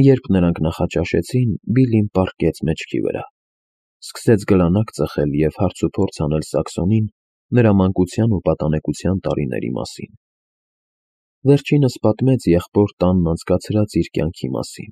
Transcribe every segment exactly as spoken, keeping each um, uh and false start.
Երբ նրանք նախաճաշեցին, Բիլլին պառկեց մեջքի վրա, սկսեց գլանակ ծխել և հարցուփորձ անել Սաքսոնին նրա մանկության ու պատանեկության տարիների մասին. վերջինս պատմեց եղբոր տանն անցկացրած իր կյանքի մասին.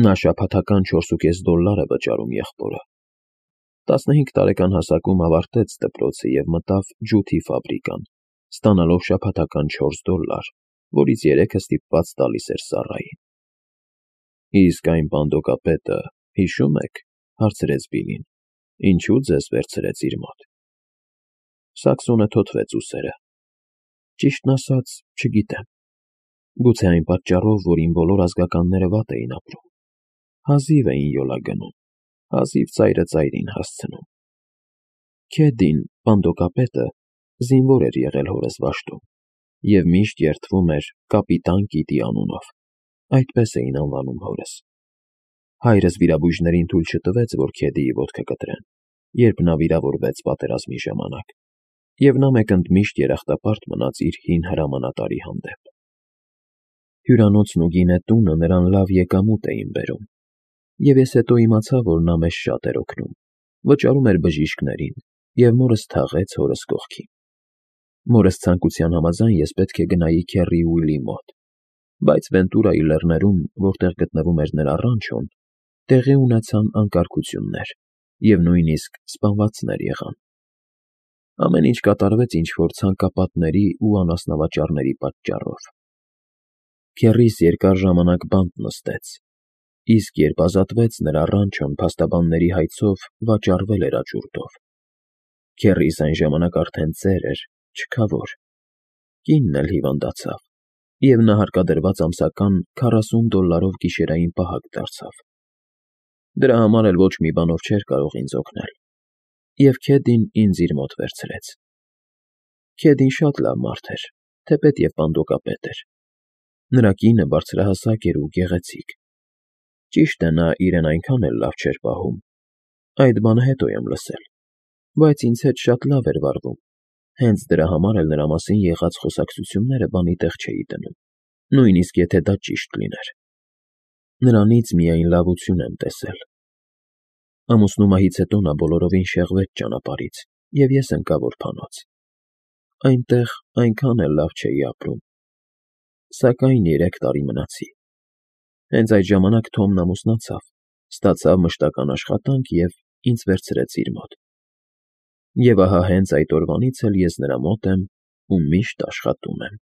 նա շաբաթական չորսուկես դոլլար է վճարում եղբորը, տասնհինգ տարեկան հասակում ավարտեց դպրոցը և մտավ ջութի ֆաբրիկան, ստանալով շաբաթական չորս դոլլար, որից երեքը ստիպված տալիս էր Սառային։ Իսկ այն բանդոկապետը, հիշո՞ւմ եք, հարցրեց Բիլլին, ինչու ձեզ վերցրեց իր մոտ։ Սաքսոնը թոթվեց ուսերը։ Ճիշտն ասած, չգիտեմ։ Գուցե այն պատճառով, որ իմ բոլոր ազգականները վատ էին ապրում, հազիվ էին յոլա գնում, հազիվ ծայրը ծայրին հասցնում։ Քեդին, բանդոկապետը, զինվոր էր եղել հորս վաշտում և միշտ երդվում էր կապիտան Կիտի անունով, այդպես էին անվանում հորս։ Հայրս վիրաբույժներին թույլ չտվեց, որ Քեդիի ոտքը կտրեն, երբ նա վիրավորվեց պատերազմի ժամանակ, և նա մեկընդմիշտ երախտապարտ մնաց իր հին հրամանատարի հանդեպ։ Հյուրանոցն ու գինետունը նրան լավ եկամուտ էին բերում, և ես հետո իմացա, որ նա մեզ շատ էր օգնում, վճարում էր բժիշկներին, և մորս թաղեց հորս կողքին։ Մորս ցանկության համաձայն ես պետք է գնայի քեռի Ուիլի մոտ, բայց Վենտուրայի լեռներում, որտեղ գտնվում էր նրա ռանչոն, տեղի ունեցան անկարգություններ և նույնիսկ սպանվածներ եղան։ Ամեն ինչ կատարվեց ինչ-որ ցանկապատների ու անասնավաճառների պատճառով։ Քեռիս երկար ժամանակ բանտ նստեց, իսկ երբ ազատվեց, նրա ռանչոն փաստաբանների հայցով վաճառվել էր աճուրդով։ Քեռիս այն ժամանակ արդեն ծեր էր, չքավոր։ Կինն էլ հիվանդացավ, և նա հարկադրված ամսական քառասուն դոլլարով գիշերային պահակ դարձավ։ Դրա համար էլ ոչ մի բանով չէր կարող ինձ օգնել, և Քեդին ինձ իր մոտ վերցրեց։ Քեդին շատ լավ մարդ էր, թեպետ և բանդոկապետ էր։ Նրա կինը բարձրահասակ էր ու գեղեցիկ։ Ճիշտ է, նա իրեն այնքան էլ լավ չէր պահում, այդ բանը հետո եմ լսել, բայց ինձ հետ շատ լավ էր վարվում, հենց դրա համար էլ նրա մասին եղած խոսակցությունները բանի տեղ չէի դնում, նույնիսկ եթե դա ճիշտ լիներ։ Նրանից միայն լավություն եմ տեսել։ Ամուսնու մահից հետո նա բոլորովին շեղվեց ճանապարհից, և ես ընկա որբանոց։ Այնտեղ այնքան էլ լավ չէի ապրում, սակայն երեք տարի մնացի։ Հենց այդ ժամանակ Թոմն ամուսնացավ, ստացավ մշտական աշխատանք և ինձ վերցրեց իր մոտ։ Եվ ահա հենց այդ օրվանից էլ ես նրա մոտ եմ ու միշտ աշխատում եմ։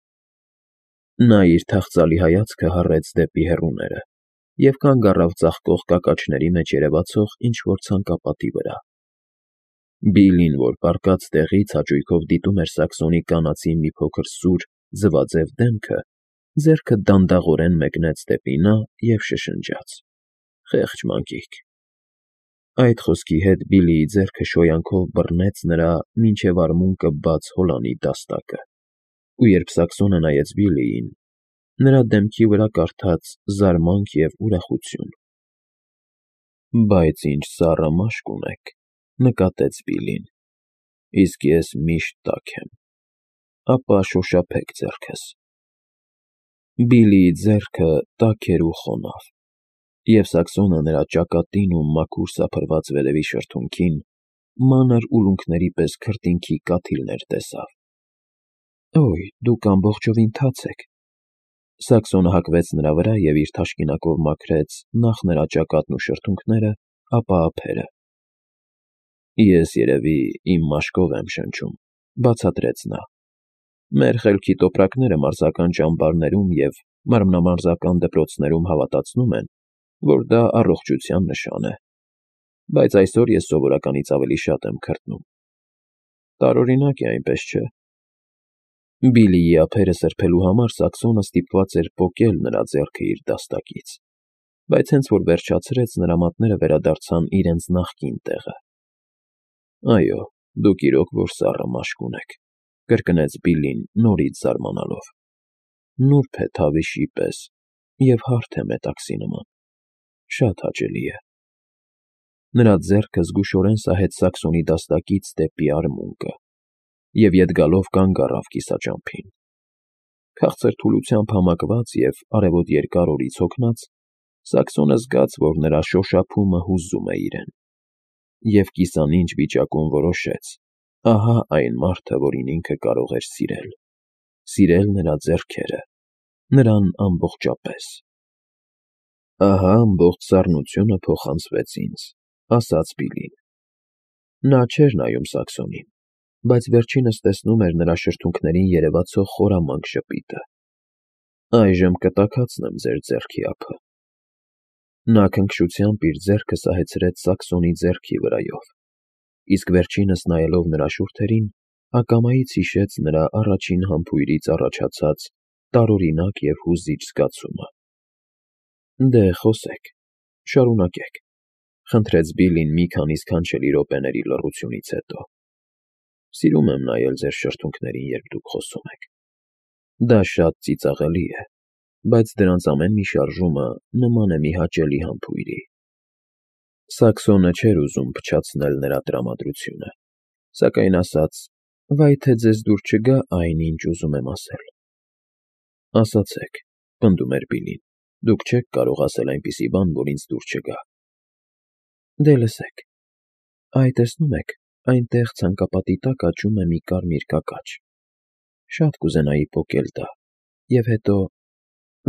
Նա իր թախծալի հայացքը հառեց դեպի հեռուները և կանգ առավ ծաղկող կակաչների մեջ երևացող ինչ֊որ ցանկապատի վրա։ Բիլլին, որ պառկած տեղից հաճույքով դիտում էր Սաքսոնի կանացի մի փոքր սուր, ձվաձև դեմքը, ձեռքը դանդաղորեն մեկնեց դեպի նա և շշնջաց. «Խեղճ մանկիկ»։ Այդ խոսքի հետ Բիլլիի ձեռքը շոյանքով բռնեց նրա մինչև արմունկը բաց հոլանի դաստակը, ու երբ Սաքսոնը նայեց Բիլլիին, նրա դեմքի վրա կարդաց զարմանք և ուրախություն։ «Բայց ինչ սառը մաշկ ունեք», նկատեց Բիլլին, «իսկ ես միշտ տաք եմ, ապա շոշափեք ձեռքս»։ Բիլլիի ձեռքը տաք էր ու խոնավ, և Սաքսոնը նրա ճակատին ու մաքուր սափրված վերևի շրթունքին մանր ուլունքների պես քրտինքի կաթիլներ տեսավ։ «Օյ, դուք ամբողջովին թաց եք»։ Սաքսոնը հագվեց նրա վրա և իր թաշկինակով մաքրեց նախ նրա ճակատն ու շրթունքները, ապա ափերը։ «Ես, երևի, իմ մաշկով եմ շնչում», բացատրեց նա։ «Մեր խելքի տոպրակները մարզական ճամբարներում և մարմնամարզական դպրոցներում հավատացնում են, որ դա առողջության նշան է, բայց այսօր ես սովորականից ավելի շատ եմ քրտնում։ Տարօրինակ է, այնպես չէ՞»։ Բիլլիի ափերը սրբելու համար Սաքսոնը ստիպված էր պոկել նրա ձեռքը իր դաստակից, բայց հենց որ վերջացրեց, նրա մատները վերադարձան իրենց նախկին տեղը։ «Այո, դուք իրոք որ սառը մաշկ ունեք», կրկնեց Բիլլին նորից զարմանալով։ «Նուրբ է թավիշի պես և հարթ է մետաքսի նման, շատ հաճելի է»։ Նրա ձեռքը զգուշորեն սահեց Սաքսոնի դաստակից դեպի արմունկը և ետ գալով կանգ առավ կիսաճամփին։ Քաղցր թուլությամբ համակված և արևոտ երկար օրից հոգնած՝ Սաքսոնը զգաց, որ նրա շոշափումը հուզում է իրեն, և կիսանինջ վիճակում որոշեց. ահա այն մարդը, որին ինքը կարող էր սիրել, սիրել նրա ձեռքերը, նրան ամբողջապես։ Ահա ամբողջ սառնությունը փոխանցվեց ինձ, ասաց Բիլին։ Նա չէր նայում Սաքսոնին, բայց վերջինս տեսնում էր նրա շրթունքներին երևացող խորամանկ ժպիտը։ Այժմ կտաքացնեմ ձեր ձեռքի ափը։ Նա քնքշությամբ իր ձեռքը սահեցրեց Սաքսոնի ձեռքի վրայով, իսկ վերջինս նայելով նրա շուրթերին, ակամայից հիշեց նրա առաջին համբույրից առաջացած տարօրինակ և հուզիչ զգացումը։ Դե, խոսեք, շարունակեք, խնդրեց Բիլին մի քանի սքանչելի րոպեների լռությունից հետո։ Սիրում եմ նայել ձեր շրթունքներին, երբ դուք խոսում եք։ Դա շատ ծիծաղելի է, բայց դրանց ամեն մի շարժումը նման է մի հաճելի համբույրի։ Սաքսոնը չէր ուզում փչացնել նրա տրամադրությունը, սակայն ասաց. «Վայ թե ձեզ դուր չգա այն, ինչ ուզում եմ ասել»։ Ասացեք, պնդում էր Բիլին, դուք չեք կարող ասել այնպիսի բան, որ ինձ դուր չգա։ Դե լսեք, այ տեսնում եք, այնտեղ ցանկապատի տակ աճում է մի կարմիր կակաչ։ Շատ կուզենայի պոկել դա, և հետո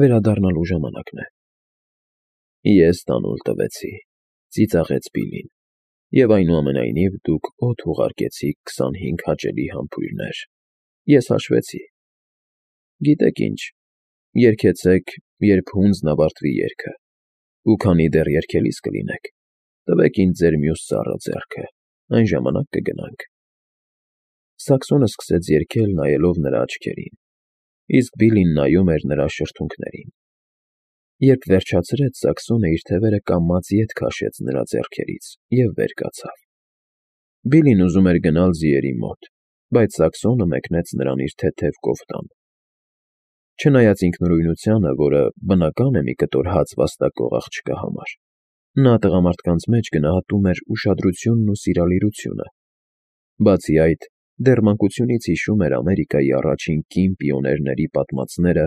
վերադառնալու ժամանակն է։ Ես տանուլ տվեցի, ծիծաղեց Բիլին, և այնուամենայնիվ դուք օդ ուղարկեցիք քսանհինգ հաճելի համբույրներ։ Ես հաշվեցի։ Գիտեք ինչ, երգեցեք, երբ հունձն ավարտվի երգը, ու քանի դեռ երգելիս կլինեք, տվեք ինձ ձեր մյուս սառը ձեռքը, այն ժամանակ կգնանք։ Սաքսոնը սկսեց երգել, նայելով նրա աչքերին, իսկ Բիլին նայում էր նրա շրթունքներին։ Երբ վերջացրեց, Սաքսոնը իր թևերը կամաց ետ քաշեց նրա ձեռքերից և վեր կացավ։ Բիլին ուզում էր գնալ ձիերի մոտ, բայց Սաքսոնը մեկնեց նրան իր թեթև կոֆտան։ Չնայած ինքնուրույնությանը, որը բնական է մի կտոր հաց վաստակող աղջկա համար, նա տղամարդկանց մեջ գնահատում էր ուշադրությունն ու սիրալիրությունը։ Բացի այդ, դեռ մանկությունից հիշում էր Ամերիկայի առաջին կին պիոներների պատմածները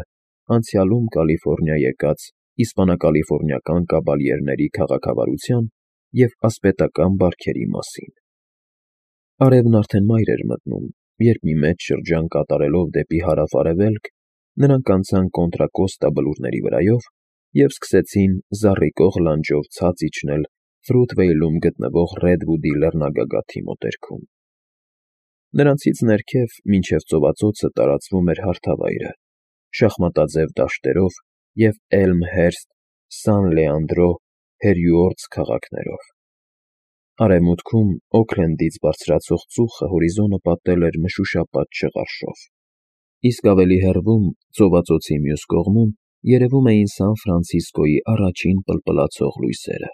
անցյալում Կալիֆոռնիա եկած իսպանա֊կալիֆոռնիական կաբալյերների քաղաքավարության և ասպետական բարքերի մասին։ Արևն արդեն մայր էր մտնում, երբ մի մեծ շրջան կատարելով դեպի հարավ֊արևելք, նրանք անցան Կոնտրա Կոստա բլուրների վրայով և սկսեցին զառիկող լանջով ցած իջնել Ֆրութվեյլում գտնվող Ռեդվուդի լեռնագագաթի մոտերքում։ Նրանցից ներքև մինչև ծովածոցը տարածվում էր հարթավայրը՝ շախմատաձև դաշտերով և Էլմհերսթ, Սան Լեանդրո, Հերյուորդս քաղաքներով։ Արևմուտքում Օքլենդից բարձրացող ծուխը հորիզոնը պատել էր մշուշապատ շղարշով, իսկ ավելի հեռվում, ծովածոցի մյուս կողմում, երևում էին Սան Ֆրանցիսկոյի առաջին պլպլացող լույսերը։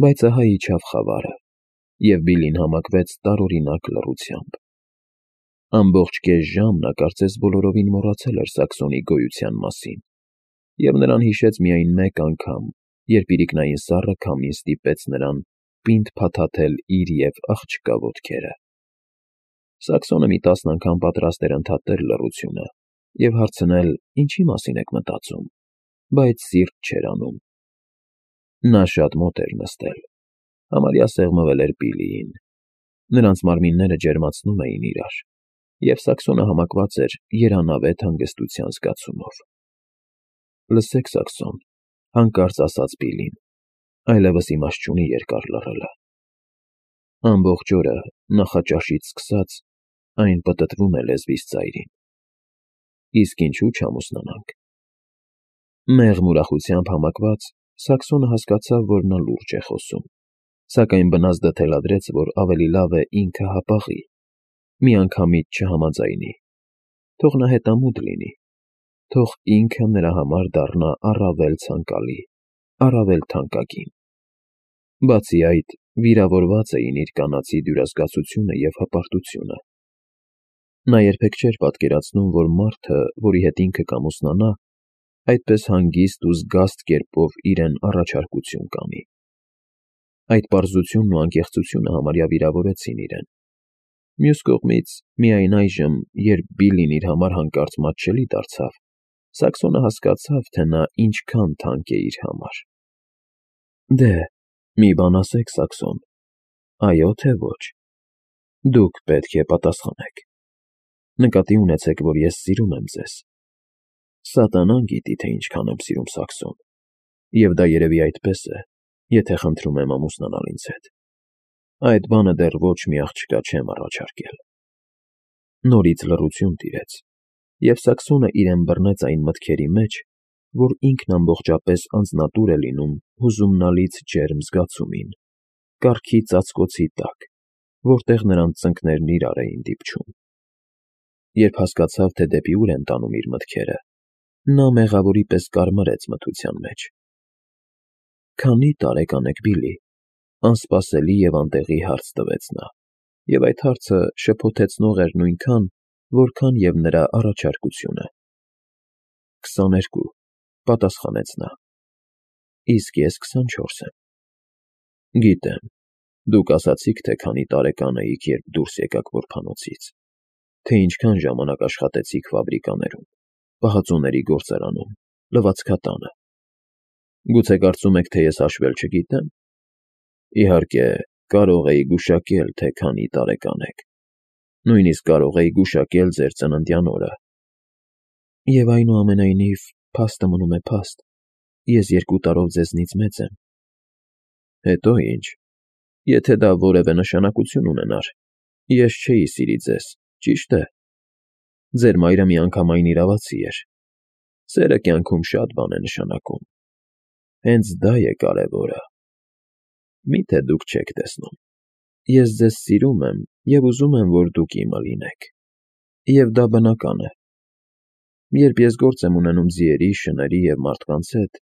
Բայց ահա իջավ խավարը, և Բիլին համակվեց տարօրինակ լռությամբ։ Ամբողջ կես ժամ նա կարծես բոլորովին մոռացել էր Սաքսոնի գոյության մասին, և նրան հիշեց միայն մեկ անգամ, երբ իրիկնային սառը քամին ստիպեց նրան պինդ փաթաթել իր և աղջկա ոտքերը։ Սաքսոնը մի տասն անգամ պատրաստ էր ընդհատել լռությունը և հարցնել. «Ինչի մասին եք մտածում», բայց սիրտ չէր անում։ Նա շատ մոտ էր նստել, համարյա սեղմվել էր Բիլիին։ Նրանց մարմինները ջերմացնում էին իրար, և Սաքսոնը համակված էր երանավետ հանգստության զգացումով։ Լսեք, Սաքսոն, հանկարծ ասաց Բիլին, այլևս իմաստ չունի երկար լռելը։ Ամբողջ օրը, նախաճաշից սկսած, այն պտտվում է լեզվիս ծայրին։ Իսկ ինչու չամուսնանանք։ Մեղմ ուրախությամբ համակված, Սաքսոնը հասկացավ, որ նա լուրջ է խոսում, սակայն բնազդը թելադրեց, որ ավելի լավ է ինքը հապաղի, միանգամից չհամաձայնի։ Թող նա հետամուտ լինի, թող ինքը նրա համար դառնա առավել ցանկալի, առավել թանկագին։ Բացի այդ, վիրավորված էին իր կանացի դյուրազգացությունը և հպարտությունը։ Նա երբեք չէր պատկերացնում, որ մարդը, որի հետ ինքը կամուսնանա, այդպես հանգիստ ու զգաստ կերպով իրեն առաջարկություն կանի։ Այդ պարզությունն ու անկեղծությունը համարյա վիրավորեցին իրեն։ Մյուս կողմից, միայն այժմ, երբ Բիլին իր համար հանկարծ մատչելի դարձավ, Սաքսոնը հասկացավ, թե նա ինչքան թանկ է իր համար։ Դե, մի բան ասեք, Սաքսոն, այո թե ոչ։ Դուք պետք է պատասխանեք։ Նկատի ունեցեք, որ ես սիրում եմ ձեզ։ Սատանան գիտի, թե ինչքան եմ սիրում Սաքսոն, և դա երևի այդպես է, եթե խնդրում եմ ամուսնանալ ինձ հետ։ Այդ բանը դեռ ոչ մի աղջկա չեմ առաջարկել։ Նորից լռություն տիրեց, և Սաքսոնը իրեն բռնեց այն մտքերի մեջ, որ ինքն ամբողջապես անձնատուր է լինում հուզումնալից ջերմ զգացումին, կառքի ծածկոցի տակ, որտեղ նրանց ծնկներն իրար էին դիպչում։ Երբ հասկացավ, թե դեպի ուր են տանում իր մտքերը, նա մեղավորի պես կարմրեց մթության մեջ։ Քանի՞ տարեկան եք, Բիլլի, անսպասելի և անտեղի հարց տվեց նա, և այդ հարցը շփոթեցնող էր նույնքան, որքան և նրա առաջարկությունը։ Քսաներկու, պատասխանեց նա։ Իսկ ես քսանչորս եմ։ Գիտեմ, դուք ասացիք, թե քանի տարեկան էիք, երբ դուրս եկաք որբանոցից, թե ինչքան ժամանակ աշխատեցիք ֆաբրիկաներում, պահածոների գործարանում, լվացքատանը։ Գուցե կարծում եք, թե ես հաշվել չգիտեմ։ Իհարկե, կարող էի գուշակել, թե քանի տարեկան եք, նույնիսկ կարող էի գուշակել ձեր ծննդյան օրը։ Եվ այնուամենայնիվ, փաստը մնում է փաստ, ես երկու տարով ձեզնից մեծ եմ։ Հետո ինչ, եթե դա որևէ նշանակություն ունենար, ես չէի սիրի ձեզ, ճիշտ է։ Ձեր մայրը միանգամայն իրավացի էր։ Սերը կյանքում շատ բան է նշանակում։ Հենց դա է կարևորը։ Մի՞թե դուք չեք տեսնում։ Ես ձեզ սիրում եմ և ուզում եմ, որ դուք իմը լինեք։ Եվ դա բնական է։ Երբ ես գործ եմ ունենում ձիերի, շների և մարդկանց հետ,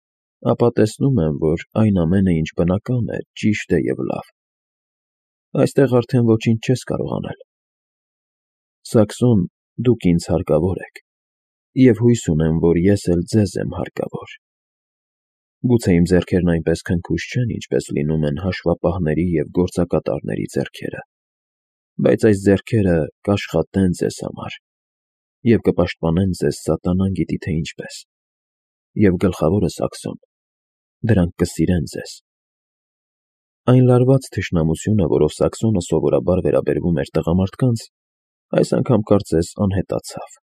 ապա տեսնում եմ, որ այն ամենը, ինչ բնական է, ճիշտ է և լավ։ Այստեղ արդեն ոչինչ չես կարող անել։ Սաքսոն, դուք ինձ հարկավոր եք, և հույս ունեմ, որ ես էլ ձեզ եմ հարկավոր։ Գուցե իմ ձեռքերն այնպես քնքուշ չեն, ինչպես լինում են հաշվապահների և գործակատարների ձեռքերը, բայց այս ձեռքերը կաշխատեն ձեզ համար և կպաշտպանեն ձեզ սատանան գիտի թե ինչպես, և գլխավորը, Սաքսոն, դրանք կսիրեն ձեզ։ Այն լարված թշնամությունը, որով Սաքսոնը սովորաբար վերաբերվում էր տղամարդկանց, այս անգամ կարծես անհետացավ։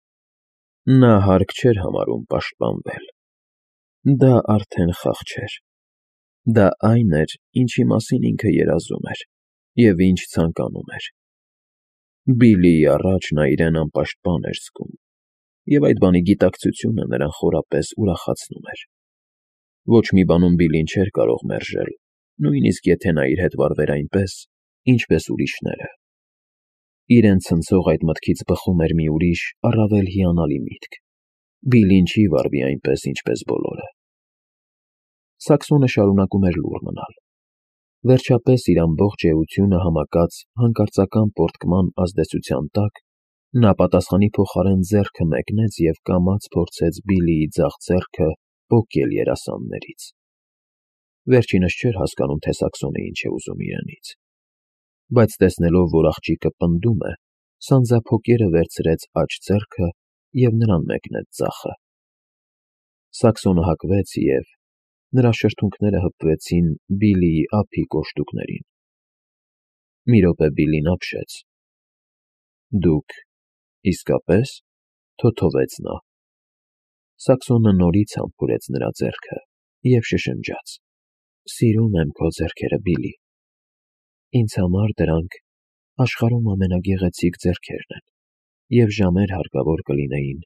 Նա հարկ չէր համարում պաշտպանվել։ Դա արդեն խաղ չէր։ Դա այն էր, ինչի մասին ինքը երազում էր և ինչ ցանկանում էր։ Բիլլիի առաջ նա իրեն անպաշտպան էր զգում, և այդ բանի գիտակցությունը նրան խորապես ուրախացնում էր։ Ոչ մի բանում Բիլլին չէր կարող մերժել, նույնիսկ եթե նա իր հետ վարվեր այնպես, ինչպես ուրիշները։ Իրեն ցնցող այդ մտքից բխում էր մի ուրիշ, առավել հիանալի միտք. Բիլլին չի վարվի այնպես, ինչպես բոլորը։ Սաքսոնը շարունակում էր լուռ մնալ։ Վերջապես իր ամբողջ էությունը համակած հանկարծական պոռթկման ազդեցության տակ, նա պատասխանի փոխարեն ձեռքը մեկնեց և կամաց փորձեց Բիլլիի ձախ ձեռքը պոկել երասաններից։ Վերջինս չէր հասկանում, թե Սաքսոնը ինչ է ուզում իրենից, բայց տեսնելով, որ աղջիկը պնդում է, սանձափոկերը վերցրեց աջ ձեռքը և նրան մեկնեց ձախը։ Սաքսոնը հակվեց և… նրա շրթունքները հպվեցին Բիլլիի ափի կոշտուկներին։ Մի րոպե Բիլլին ապշեց։ Դուք… իսկապե՞ս, թոթովեց նա։ Սաքսոնը նորից համբուրեց նրա ձեռքը և շշնջաց. Սիրում եմ քո ձեռքերը, Բիլլի։ Ինձ համար դրանք աշխարհում ամենագեղեցիկ ձեռքերն են, և ժամեր հարկավոր կլինեին,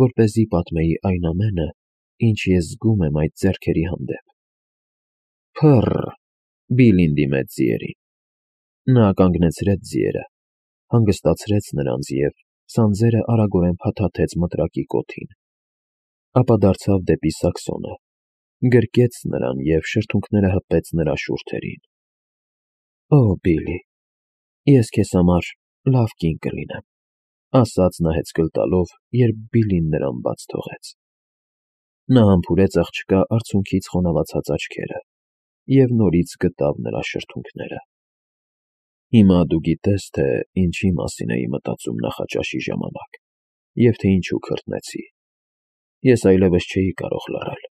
որպեսզի պատմեի այն ամենը, ինչ ես զգում եմ այդ ձեռքերի հանդեպ։ Փը՜ռռ… Բիլլին դիմեց ձիերին։ Նա կանգնեցրեց ձիերը, հանգստացրեց նրանց և սանձերը արագորեն փաթաթեց մտրակի կոթին։ Ապա դարձավ դեպի Սաքսոնը, գրկեց նրան և շրթունքները հպեց նրա շուրթերին։ Օ՜, Բիլլի, ես քեզ համար լավ կին կլինեմ, ասաց նա հեծկլ տալով, երբ Բիլլին նրան բաց թողեց։ Նա համբուրեց աղջկա արցունքից խոնավացած աչքերը և նորից գտավ նրա շրթունքները։ Հիմա դու գիտես, թե ինչի մասին էի մտածում նախաճաշի ժամանակ և թե ինչու քրտնեցի։ Ես այլևս չէի կարող լռել։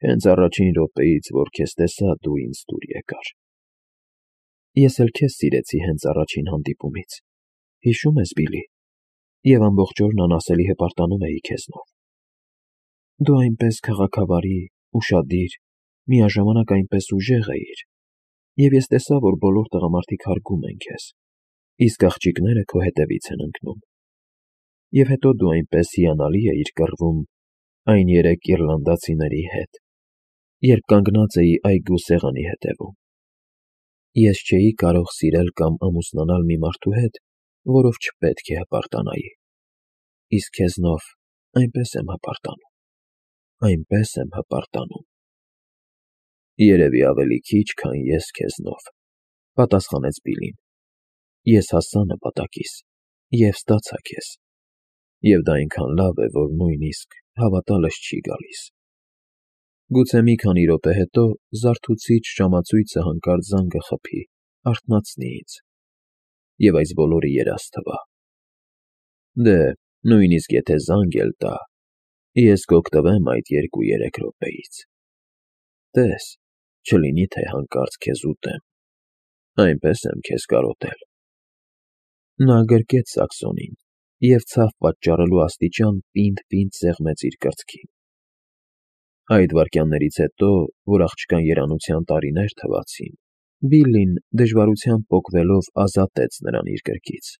Հենց առաջին րոպեից, որ քեզ տեսա, դու ինձ դուր եկար։ Ես էլ քեզ սիրեցի հենց առաջին հանդիպումից, հիշո՞ւմ ես, Բիլլի, և ամբողջ օրն անասելի հպարտանում էի քեզնով։ Դու այնպես քաղաքավարի, ուշադիր, միաժամանակ այնպես ուժեղ էիր, և ես տեսա, որ բոլոր տղամարդիկ հարգում են քեզ, իսկ աղջիկները քո հետևից են ընկնում։ Եվ հետո դու այնպես հիանալի էիր կռվում այն երեք իռլանդացիների հետ, երբ կանգնած էի այգու սեղանի հետևում։ Ես չէի կարող սիրել կամ ամուսնանալ մի մարդու հետ, որով չպետք է հպարտանայի, իսկ քեզնով այնպես եմ հպարտանում, այնպես եմ հպարտանում։ Երևի ավելի քիչ, քան ես քեզնով, պատասխանեց Բիլլին։ Ես հասա նպատակիս և ստացա քեզ, և դա այնքան լավ է, որ նույնիսկ հավատալս չի գալիս։ Գուցե մի քանի րոպե հետո զարթուցիչ ժամացույցը հանկարծ զանգը խփի, արթնացնի ինձ, և այս բոլորը երազ թվա։ Դե, նույնիսկ եթե զանգ էլ տա, ես կօգտվեմ այդ երկու֊երեք րոպեից։ Տես, չլինի թե հանկարծ քեզ ուտեմ, այնպես եմ քեզ կարոտել։ Նա գրկեց սաքսոնին և ցավ պատճառելու աստիճան պինդ֊պինդ սեղմեց իր կրծքին։ Այդ վայրկյաններից հետո, որ աղջկան երանության տարիներ թվացին, Բիլլին դժվարությամբ պոկվելով ազատեց նրան իր գրկից։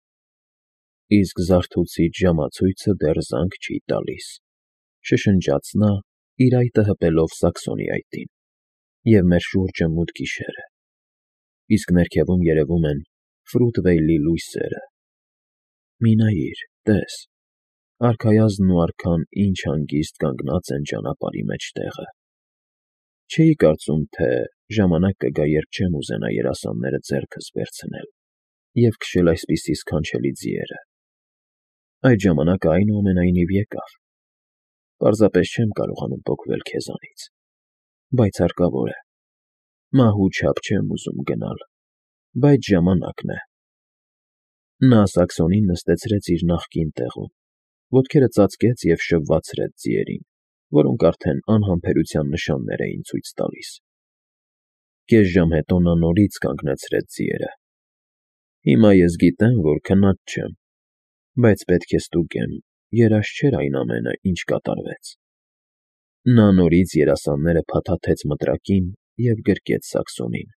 Իսկ զարթուցիչ ժամացույցը դեռ զանգ չի տալիս, շշնջաց նա, իր այտը հպելով սաքսոնի այտին, և մեր շուրջը մութ գիշեր է, իսկ ներքևում երևում են Ֆրութվեյլի լույսերը։ Մի նայիր, տես, արքայազնն ու արքան ինչ հանգիստ կանգնած են ճանապարհի մեջտեղը։ Չէի կարծում, թե ժամանակ կգա, երբ չեմ ուզենա երասանները ձեռքս վերցնել և քշել այսպիսի սքանչելի ձիերը։ Այդ ժամանակը, այնուամենայնիվ, եկավ։ Պարզապես չեմ կարողանում պոկվել քեզանից, բայց հարկավոր է։ Մահու չափ չեմ ուզում գնալ, բայց ժամանակն է։ Նա սաքսոնին նստեցրեց իր նախկին տեղում, ոտքերը ծածկեց և շվվացրեց ձիերին, որոնք արդեն անհամբերության նշաններ էին ցույց տալիս։ Կես ժամ հետո նա նորից կանգնեցրեց ձիերը։ Հիմա ես գիտեմ, որ քնած չեմ, բայց պետք է ստուգեմ, երազ չէր այն ամենը, ինչ կատարվեց։ Նա նորից երասանները փաթաթեց մտրակին և գրկեց սաքսոնին։